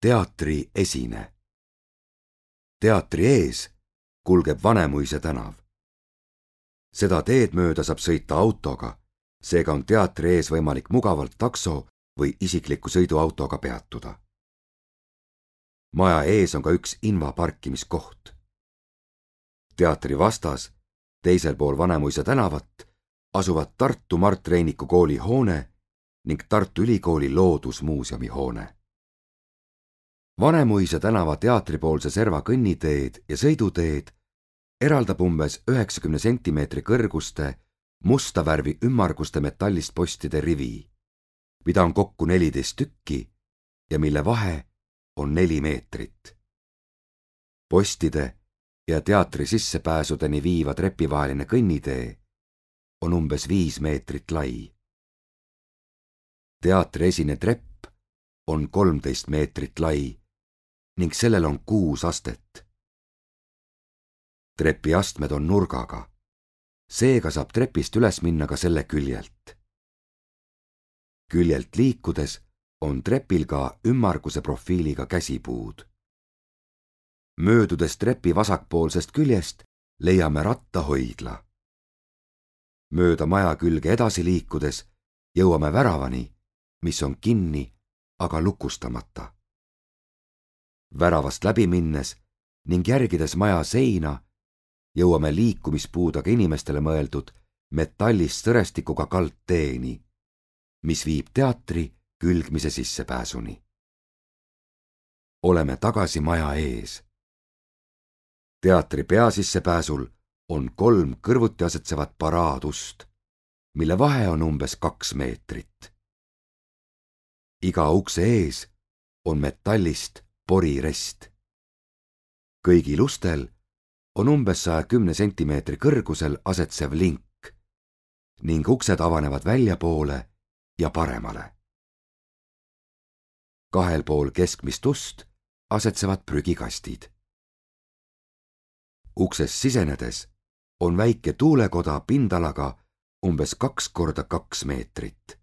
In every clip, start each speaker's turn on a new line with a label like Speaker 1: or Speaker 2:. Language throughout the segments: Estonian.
Speaker 1: Teatri esine. Teatri ees kulgeb Vanemuise tänav. Seda teed mööda saab sõita autoga, seega on teatri ees võimalik mugavalt takso või isikliku sõiduautoga peatuda. Maja ees on ka üks invaparkimiskoht. Teatri vastas, teisel pool Vanemuise tänavat, asuvad Tartu Mart Reiniku kooli hoone ning Tartu Ülikooli loodusmuuseumi hoone. Vanemuise tänava teatripoolse serva kõnniteed ja sõiduteed eraldab umbes 90 sentimeetri kõrguste musta värvi ümmarguste metallist postide rivi, mida on kokku 14 tükki ja mille vahe on 4 meetrit. Postide ja teatri sissepääsudeni viiva trepivaheline kõnnitee on umbes 5 meetrit lai. Teatri esine trepp on 13 meetrit lai ning sellel on 6 astet. Trepi astmed on nurgaga, seega saab trepist üles minna ka selle küljelt. Küljelt liikudes on trepil ka ümmarguse profiiliga käsipuud. Möödudes trepi vasakpoolsest küljest leiame rattahoidla. Mööda maja külge edasi liikudes jõuame väravani, mis on kinni, aga lukustamata. Väravast läbi minnes ning järgides maja seina jõuame liikumispuudega inimestele mõeldud metallist sõrestikuga kaldteeni, mis viib teatri külgmise sissepääsuni. Oleme tagasi maja ees. Teatri peasissepääsul on 3 kõrvuti asetsevat paraadust, mille vahe on umbes 2 meetrit. Iga ukse ees on metallist porirest. Kõigil ustel on umbes 110 sentimeetri kõrgusel asetsev link ning uksed avanevad väljapoole ja paremale. 2 pool keskmist ust asetsevad prügikastid. Uksest sisenedes on väike tuulekoda pindalaga umbes 2 korda 2 meetrit.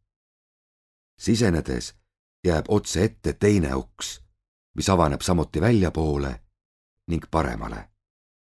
Speaker 1: Sisenedes jääb otse ette teine uks, mis avaneb samuti väljapoole ning paremale.